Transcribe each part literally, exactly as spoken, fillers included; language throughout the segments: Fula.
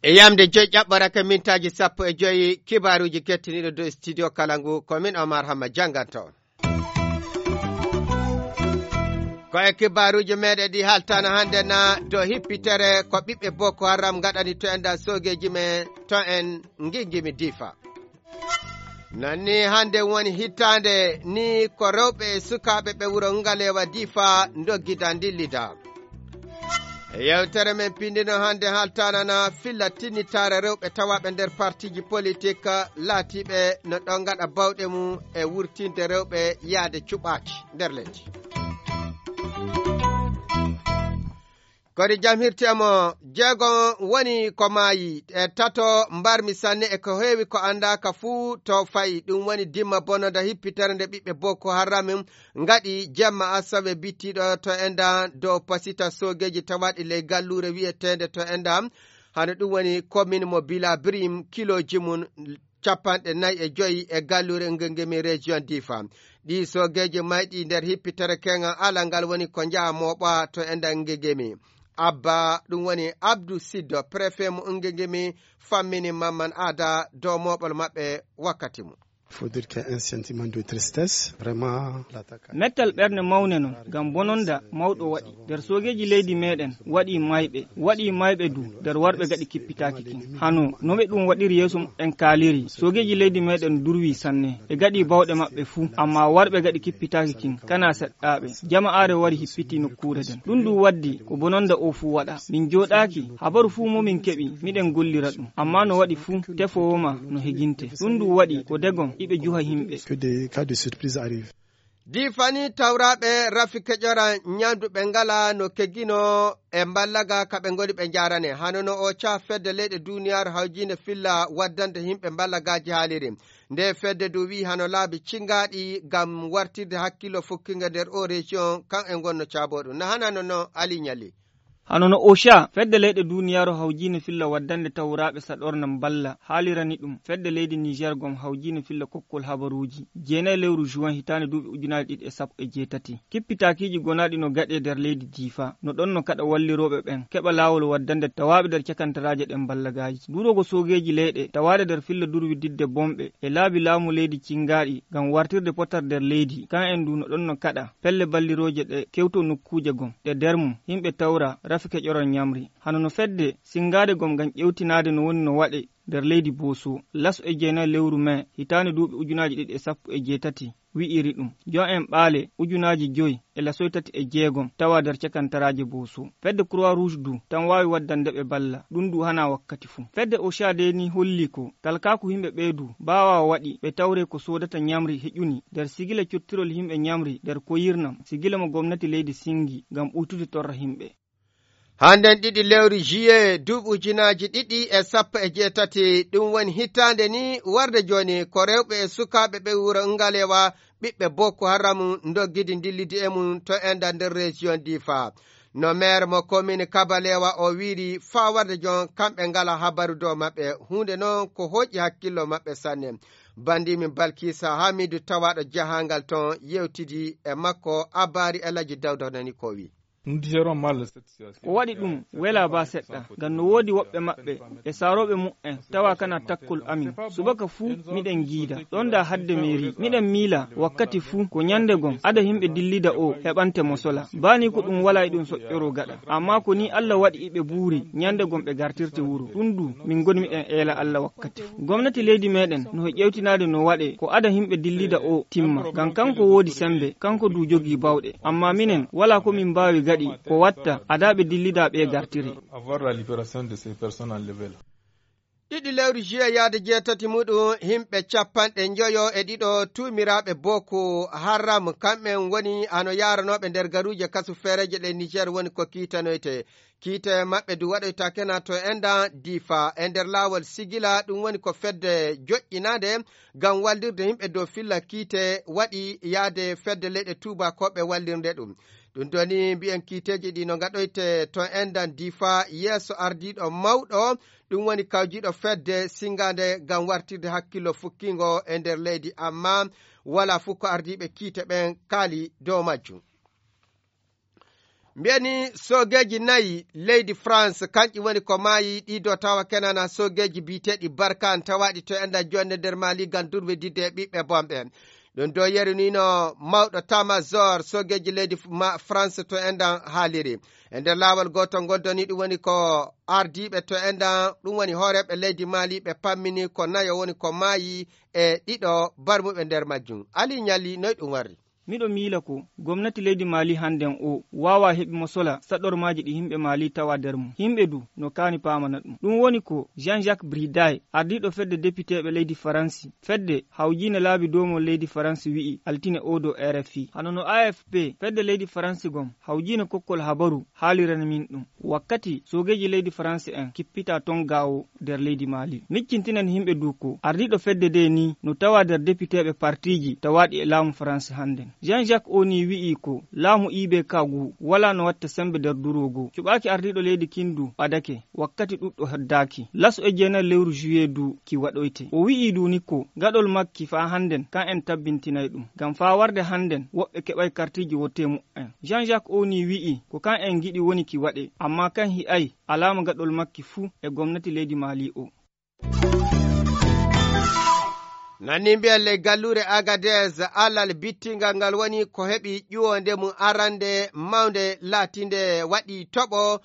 E yamde joyi ƴaɓɓoraka mintaaji sappo e joyi, kibaaruuji kettiniiɗo dow studio kala ngu, ko min Omar Hamma jannganto on. Ko e kibaaruuji meɗen ɗi haltana hannde na dow hippitere ko ɓiɓɓe Boko Haram ngaɗani to en ɗan soogeeji men to en ngingimi Difa. Nanni hannde woni hittaande ni ko rewɓe e sukaaɓe ɓe wuro Ngalewa Difa ndoggida ndillida. E yewtere men pindino hannde haltana na filla tinnitaare rewɓe tawaaɓe nder partiiji politik laatiiɓe no ɗon ngaɗa bawɗe mum e wurtinde rewɓe yaade cuɓaaki nder leydi. Kodi jam hirti e mo jeego woni ko maayi e tato mbarmi sanne e ko heewi ko anndaaka fuu to fayi. Ɗum woni dimma bononda hippitere nde ɓiɓɓe Boko Haram ngaɗi jemma asawe bittiiɗo to enda dow pasita soogeeji tawaaɗi ley galluure wi'eteende to enda. Hano ɗum woni komin mo Bila Brim kilooji mum capanɗe nayi e joyi e galluure Ngengemi région Difa. Ɗi soogeeji mayɗi nder hippitere keŋal ala ngal woni ko njaha mooɓa to enda Ngengemi. Abba ɗum woni Abdou Siddo, préfet mo Ngengemi, fammini Mamman Ada dow mooɓol maɓɓe wakkati mum. Faut dire qu'il y a un sentiment de tristesse, vraiment, l'attaque. Mettal ɓernde mawne non, ngam bononda mawɗo waɗi. Nder soogeeji leydi meɗen, waɗi mayɓe, waɗi mayɓe du, nder warɓe gaɗi kippitaaki kin. Hano, no ɓe ɗum waɗiri yeeso en kaaliri, soogeeji leydi meɗen durwi sanne, ɓe gaɗi bawɗe maɓɓe fuu, amma warɓe gaɗi kippitaaki kin, kana seɗɗaaɓe. Jama'aare wari hippiti nokkuure den. Ɗum du waddi, ko bononda o fuu waɗa. Min jooɗaaki, habaru fuu mo min keɓi, miɗen gollira ɗum. Amma no waɗi fuu, tefoowo ma no heginte. Ɗum du waɗi, ko degom, iɓe juha himɓe. Que des cas de surprise arrivent. Difani tawraaɓe rafi keƴora ñamdu ɓe ngala no keggino e mballaga ka ɓe ngoni ɓe njarane. Hano no o ca fedde leyɗe duniyaaru hawjinde filla waddande yimɓe mballagaaji haaliri. Nde fedde du wi'i hano laabi cingaaɗi ngam wartirde hakkillo fukkinga nder o région kan e ngonno caabooɗo. Na hana no no Ali Ñali. Hano no OSHA, fedde leyɗe duniyaaru hawjinde filla waddande tawraaɓe saɗorna mballa haalirani ɗum. Fedde leydi Niger gom hawjinde filla kokkol habaruuji. Jeenayi lewru juin hitaande duuɓi ujunaaji ɗiɗi e sappo e jeetati. Kippitaakiiji gonaaɗi no gaɗe nder leydi Diifa. No ɗon no kaɗa wallirooɓe ɓen keɓa laawol waddande tawaaɓe nder cakantaraaje ɗen mballagaaji. Durogo soogeeji leyɗe tawaade nder filla durwi didde bomɓe e laabi laamu leydi cingaaɗi ngam wartirde potar nder leydi. Kan en du no ɗon no kaɗa pelle ballirooje ɗe kewto nokkuuje gom. Ɗe nder mum, yimɓe tawra rafi keƴoral ñamri. Hano no fedde singaade gom ngam ƴewtinaade no woni no waɗe nder leydi Booso. Laso e jeenayi lewru mai hitaande duuɓi ujunaaji ɗiɗi e sappo e jeetati. Wi'iri ɗum, jon en ɓaale ujunaaji joyi e lasoy tati e jeegom tawa nder cakantaraaje Booso. Fedde Croix Rouge du tan waawi waddande ɓe balla, ɗum du hana wakkati fuu. Fedde OSHA de ni holli ko talkaaku yimɓe ɓee du baawa waɗi ɓe tawre ko soodata ñamri heƴuni nder sigila cottirol yimɓe ñamri nder koyirnam sigila mo gomnati leydi singi ngam ɓuytude torra yimɓe. Hannden ɗiɗi lewru juillet duuɓi ujunaaji ɗiɗi e sappo e jeetati, ɗum woni hitaande ni warde jooni ko rewɓe e sukaaɓe ɓe wuro Ngalewa ɓiɓɓe Boko Haram ndoggidi ndillidi e mum to enda nder région Difa. No maire mo commune Kabalewa o wiiri faa warde jon kamɓe ngala habaru dow maɓɓe, huunde noon ko hoƴi hakkillo maɓɓe sanne. Bandimin Balkisa Hamidu tawaaɗo jahaangal toon yewtidi e makko Abbaari Elaji Dawda nani ko wi. Ko waɗi ɗum welaa ba seɗɗa, ngam no woodi woɓɓe maɓɓe e saarooɓe mu'en tawa kana takkol amin. Subaka fuu miɗen ngiida ɗon da hadde meeri. Miɗen miila wakkati fuu ko ñande gom ada yimɓe dillida o heɓante mo sola. Ba ni ko ɗum walaa e ɗum soƴƴoroo gaɗa. Amma ko ni Alla waɗi iɓe buuri ñande gom ɓe gartirte wuro. Ɗum du min ngoni miɗen eela Alla wakkati fuu. Gomnati leydi meɗen no ƴewtinaade no waɗe ko ada yimɓe dillida o timma. Ngam kanko woodi sembe, kanko du jogii bawɗe. Amma minen, walaa ko min mbaawi gaɗi ko watta adaaɓe dillidaa ɓee gartiri. Avoir la libération de ces personnes enlevées là. Ɗiɗi lewru juillet yaade jeetati muɗum, yimɓe capanɗe njoyo e ɗiɗo tuumiraaɓe Boko Haram, kamɓen woni hano yaaranooɓe nder garuuje kasu feereeje ɗe Niger woni ko kiitanoyte. Kiite maɓɓe du waɗoyta kena to enda Difa e nder laawol sigila, ɗum woni ko fedde joƴƴinaande ngam wallirde yimɓe dow filla kiite waɗi yaade fedde leyɗe tuubakooɓe wallirde ɗum. Ɗum ɗo ni mbiyen kiiteeji ɗi no ngaɗoyte to endan difa yeeso ardiiɗo mawɗo, ɗum woni kawjiiɗo fedde singaande ngam wartirde hakkillo fukkingo e nder leydi, amma wala fof ko ardiiɓe kiite ɓen kaali dow majjum. Mbiyani soogeeji nayi leydi France, kanƴi woni ko maayi, ɗi do tawa kenana soogeeji biyeteeɗi Barkhane tawaaɗi to endan jonde nder Mali ngam durwididde e ɓiɓɓe bonɓe. Ɗum do yerinino mawɗo tamazor soogeeji leydi f-, ma-, France to endan haaliri. E nder laawol gootol ngol doni ɗum woni ko ardiiɓe to endan, ɗum woni hooreeɓe leydi Mali ɓe pammini ko nayo woni ko maayi e ɗiɗo barmuɓe nder majjum. Ali Ñalli, noy ɗum warri? Miɗo miila ko gomnati leydi Mali hannden o waawa heɓi mo sola saɗormaaji ɗi yimɓe Mali tawa nder mum. Yimɓe du no kaani paamana ɗum. Ɗum woni ko Jean-Jacques Briday, ardiiɗo fedde depiteeɓe leydi Faransi, fedde hawjiinde laabi doomol leydi Faransi wi'i altine o dow R F I. Hano no A F P, fedde leydi Faransi gom, hawjiinde kokkol habaru, haalirani min ɗum. Wakkati soogeeji leydi Faransi en kippita ton gaawo nder leydi Mali. Miccintinen yimɓe du ko ardiiɗo fedde de ni no tawa nder depiteeɓe partiiji tawaaɗi e laamu Faransi hannden. Jean-Jacques Oni wi'i ko laamu I B K ngu walaa no watta sembe nder duro goo. Cuɓaaki ardiiɗo leydi kin du ɓadake wakkati ɗuɗɗo heddaaki. Laso e jeenay lewru juillet du ki waɗoyte. O wi'i du ni ko gaɗol makki faa hannden kan en tabbintinay ɗum. Ngam faa warde hannden woɓɓe keɓay kartiiji wote mu'en. Jean-Jacques Oni wi'i ko kan en ngiɗi woni ki waɗe, amma kan hi'ay alaama gaɗol makki fuu e gomnati leydi Mali o. Nani mbiyen ley galluure Agadez, alal bittingal ngal woni ko heɓi ƴuwonde mum arande mawnde laatinde waɗi toɓo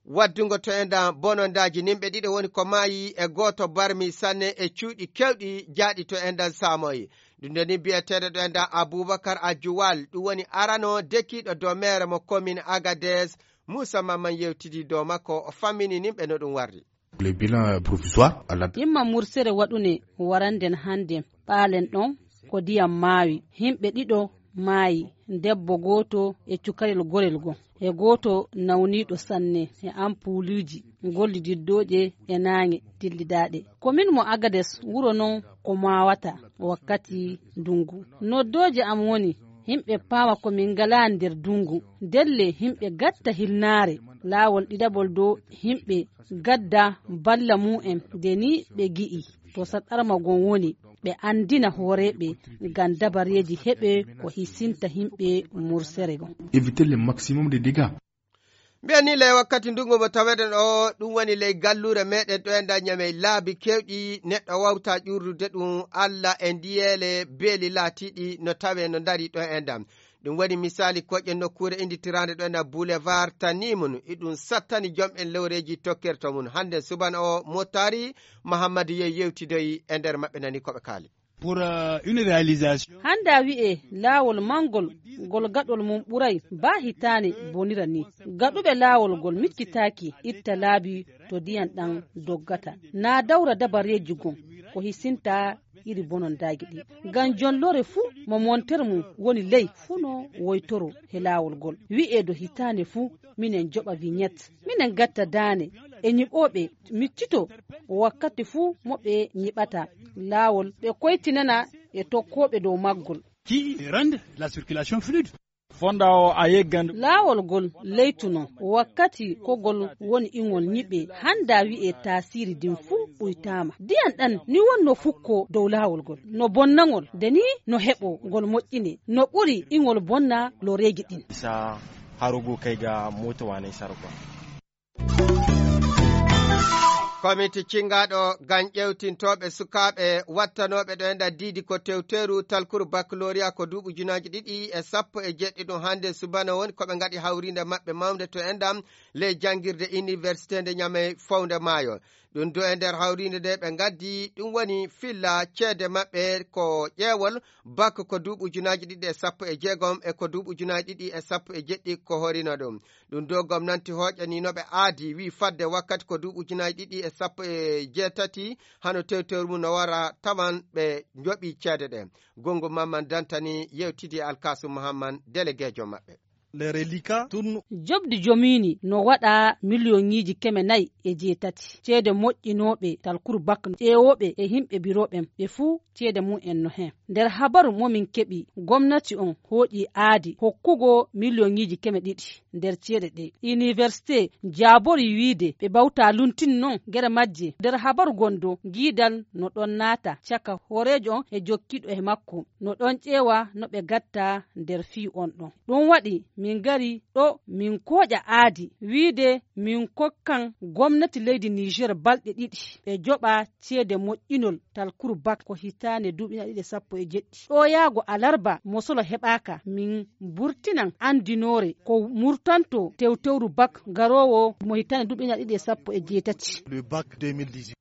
waddungo to endan bonondaaji. Nimɓe ɗiɗo woni ko maayi e gooto barmi sanne e cuuɗi kewɗi jaaɗi to endan saamoyi. Ɗum nde ni biyeteeɗo ɗo endan Abubakar Ajuwal, ɗum woni arano dekiiɗo dow meere mo commune Agadez. Muusa Mamman yewtidi dow makko, o fammini nimɓe no ɗum warri. Le bilan provisoire à la Imma mursere waɗune waranden hande ɓaalen ɗon ko diyam maawi. Himɓe ɗiɗo maayi, debbo gooto e cukalel gorel goo, e gooto nawniiɗo sanne e ampuuluuji gollididdooje e naaŋe dillidaaɗe. Ko min mo Agades wuro non ko maawata wakkati ndungu. Noddooje am woni himɓe paama ko min ngalaa nder ndungu. Ndelle himɓe gatta hilnaare. Laawol ɗiɗaɓol dow himɓe gadda balla mu'en de ni ɓe gi'i to saɗarma gon woni, ɓe andina hooreeɓe ngam dabareeji heɓe ko hisinta himɓe mursere gon. Éviter le maximum de dégâts. Mbiyen ni ley wakkati ndungu mo taweɗen o, ɗum woni ley galluure meɗen ɗo e nder Ñamey laabi kewɗi neɗɗo wawta ƴurdude ɗum Alla e ndiyeele beeli laatiiɗi no tawe no ndari ɗo e ndam. Ɗum woni misaali koƴe nokkuure inditiraande ɗo e nder Boulevard Tanimun, iɗum sattani jom'en lewreeji tokkerto mum. Hannde subana o Motaari Mahammadu Yey yewtidoyi e nder maɓɓe nani ko ɓe kaali. Pour, euh, une réalisation. Hannde a wi'e laawol manngol ngol gaɗol mum ɓuray baa hitaane bonira ni. Gaɗuɓe laawol ngol miccitaaki itta laabi to ndiyam ɗam doggata. Naa dawra dabareeji gon ko hisinta iri bonondaagi ɗi. Ngam jonlore fuu mo monter mum woni ley fuu no woytoro he laawol ngol. Wi'e do hitaane fuu minen joɓa vignette. Minen gatta daane e nyiɓooɓe miccito wakkati fuu mo ɓe nyiɓata laawol, ɓe koytinana e tokkooɓe dow maggol. Qui rendent la circulation fluide. Fonda o a yeggan. Laawol ngol leytuno wakkati ko ngol woni ingol nyiɓe, hannda wi'e taasiri din fuu ɓuytaama. Diyan ɗan ni wonno fukko dow laawol ngol, no bonnangol, de ni no heɓo ngol moƴƴine, no ɓuri ingol bonna loreeji ɗin. Sa harugu kay ga moto wane sarko. Komiti cingaaɗo ngam ƴeewtintooɓe sukaaɓe wattanooɓe ɗo e nder diidi ko tewteeru talkuru baccalauréat ko duuɓi ujunaaji ɗiɗi e sappo e jeɗɗi ɗum hannde subana woni ko ɓe ngaɗi hawriinde maɓɓe mawnde to enɗam ley janngirde université nde Ñamey fownde maayo. Ɗum do e nder hawriinde nde ɓe ngaddi ɗum woni filla ceede maɓɓe ko ƴeewol bak ko duuɓi ujunaaji ɗiɗi e sappo e jeegom e ko duuɓi ujunaaji ɗiɗi e sappo e jeɗɗi ko horino ɗum. Ɗum do gomnanti hooƴaniino ɓe aadi, wi'i fadde wakkati ko duuɓi ujunaaji ɗiɗi e sappo e jeetati, hano tewtewru mum no wara tawan ɓe njoɓi ceede ɗe. Gongo Mamman Dantani yewtidi Alkasu Muhamman, delegeejo maɓɓe. Les reliquats tournent. Joɓdi jomiini no waɗa miliyoŋiiji keme nayi e jeetati. Ceede moƴƴinooɓe talkuru bak ƴeewooɓe e yimɓe birooɓe ɓe fuu ceede mum en no heen. Nder habaru mo min keɓi, gomnati on hooƴi aadi hokkugo miliyoŋiiji keme ɗiɗi nder ceede ɗe. Iniwersite jaaborii wiide ɓe bawta luntin non gere majje. Nder habaru gondo, giidal no ɗon naata caka hooreejo on e jokkiiɗo e makko. No ɗon ƴeewa no ɓe gatta nder fii on ɗon. Ɗum waɗi min ngari ɗo min kooƴa aadi wiide min kokkan gomnati leydi Niger balɗe ɗiɗi ɓe joɓa ceede moƴƴinol talkuru bak ko hitaande duuɓi ɗiɗi e sappo e jeɗɗi. Ɗo yaago alarba mo solo heɓaaka, min burtinan andinoore ko murtanto tewtewru bak garoowo mo hitaande duuɓi ɗiɗi e sappo e jeetati. Le bac deux mille dix-huit.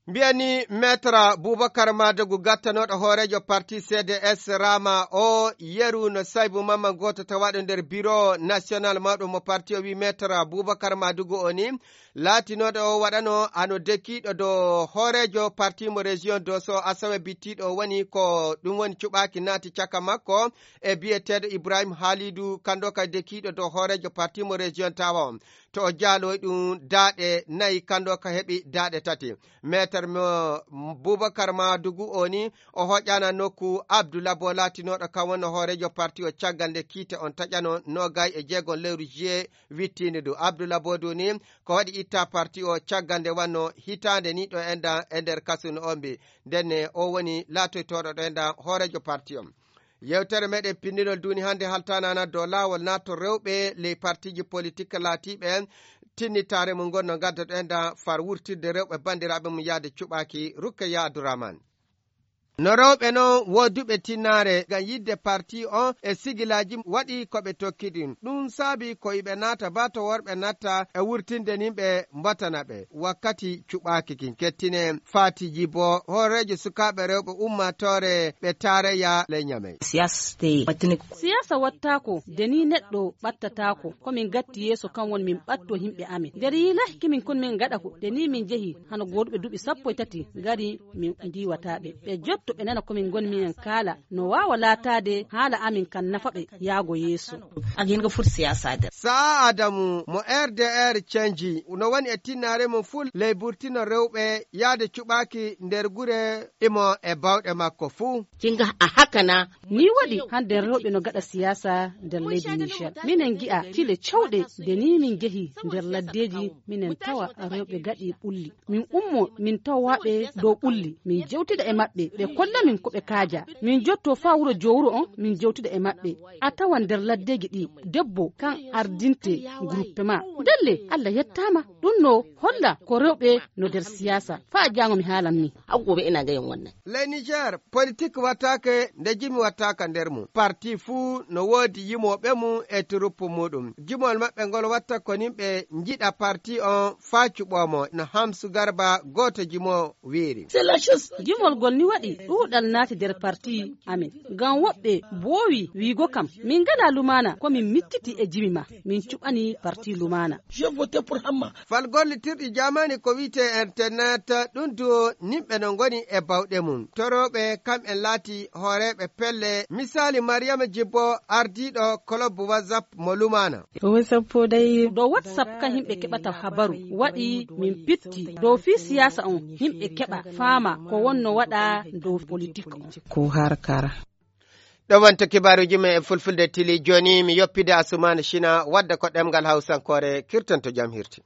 Mbiyani Maître Boubacar Madougou, gattanooɗo hooreejo parti C D S Rama o, yeru no Saibou Mamman, gooto tawaaɗo nder bureau national mawɗo mo parti o, wi Maître Boubacar Madougou o ni, laatinooɗo o waɗano hano dekiiɗo dow hooreejo parti mo région Dosso, asawe bittiiɗo o woni ko ɗum woni cuɓaaki naati caka makko e biyeteeɗo Ibrahim Halidou, kando ka dekiiɗo dow hooreejo parti mo région Tawa on. To o jaaloy ɗum daaɗe nayi, kando ka heɓi daaɗe tati. Maître mo Boubacar Madougou o ni, o hoƴana nokku Abdoulaye Bo laatinooɗo kan wonno hooreejo parti o caggal nde kiite on taƴano noogay e jeegom lewru juillet wittiinde du. Abdoulaye Bo du ni ko waɗi itta parti o caggal nde wanno hitaande ni ɗo enda e nder kasu no ombi. Ndenne o woni laatoytooɗo ɗo enda hooreejo parti on. Yewtere meɗen pinndinol duuni hannde haltanana dow laawol naatol rewɓe ley partiiji politik laatiiɓe tinnitaare mum ngon no ngadda ɗo enda far wurtirde rewɓe banndiraaɓe mum yaade cuɓaaki. Rukkeya Abdourahmane. No rewɓe non wooduɓe tinnaare ngam yidde parti on e sigilaaji waɗi ko ɓe tokki ɗin. Ɗum saabi ko iɓe naata ba to worɓe natta e wurtinde nin ɓe mbatana ɓe. Wakkati cuɓaaki kin kettine Fati Jibo, hooreejo sukaaɓe rewɓe ummaatoore ɓe taarayya ley Ñamey. Siyaasa wattaako de ni neɗɗo ɓattataako. Ko min gatti yeeso kan woni min ɓatto yimɓe amin. Nder yiilaki min kon min ngaɗa ko de ni min jehi hano gooduɓe duuɓi sappo e tati ngari min ndiwata ɓe. Ɓe jotto ɓe nana ko min ngoni minen kaala no waawa laataade haala amin kan nafa ɓe yaago yeeso. Ak yéen nga fut siyaasa der. Saa Adamu mo R D R cenji no woni e tinnaare mum fuu ley burtino rewɓe yaade cuɓaaki nder gure imo e bawɗe makko fuu. Kinga a hakana. Ni waɗi hannde rewɓe no gaɗa siyaasa nder leydi Niger. Minen ngi'a kile cawɗe de ni min njehi nder laddeeji minen tawa rewɓe gaɗi ɓulli. Min ummo min tawaɓe dow ɓulli min jewtida e maɓɓe ɓe kolla min ko ɓe kaaja. Min jotto faa wuro jowuro on min jewtida e maɓɓe. A tawan nder laddeeji ɗi debbo kan ardinte gruppe ma. Ndelle Allah yettaama ɗum no holla ko rewɓe no nder siyaasa. Faa jaango mi haalan ni. Ley Niger politik wattaake nde jimi wattaaka nder mum. Parti fuu no woodi yimooɓe mum e turuppu muuɗum. Jimol maɓɓe ngol watta ko nin ɓe njiɗa parti on faa cuɓoo mo no Hamsu Garba gooto jimo wiiri. Jimol gol ni waɗi ɗuuɗal naati nder parti amin. Ngam woɓɓe boowi wiigo kam min ngalaa lumaana ko min micciti e jimi ma min cuɓani parti lumaana. Fal gollitirɗi jaamani ko wi'etee internet ɗum du nimɓe no ngoni e bawɗe mum. Torooɓe kamɓen laati hooreeɓe pelle. Misaali Mariyama Jibbo ardiiɗo kolob WhatsApp mo lumaana. Dow WhatsApp kan yimɓe keɓata habaru waɗi min pitti dow fii siyaasa on yimɓe keɓa faama ko wonno waɗa dow politik on. Ko harkara. Ɗo wonto kibaaruuji men e fulfulde tili. Jooni mi yoppida Asumaana Cina wadda ko ɗemngal Hawsankoore kirtanto jam hirti.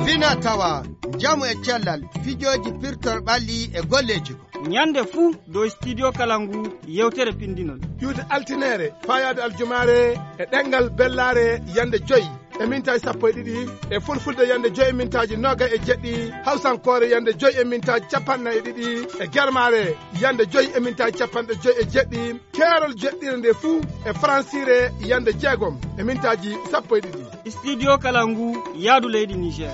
Fina tawa, njamu e cellal, fijooji pirtor ɓalli e golleeji ko. Ñande fuu dow Studio Kalangu yewtere pinndinol. Iwde altineere, faayaade aljumaare e ɗemngal bellaare yande joy e mintaaji sappo e ɗiɗi, e fulfulde yande joy e mintaaji noogay e jeɗɗi, hawsankoore yande joy e mintaaji capanɗe nayi e ɗiɗi, e germaare yande joy e mintaaji capanɗe joy e jeɗɗi, keerol jeɗɗire nde fuu e faransiire yande jeegom e mintaaji sappo e ɗiɗi. Studio Kalangu yaadu leydi Niger.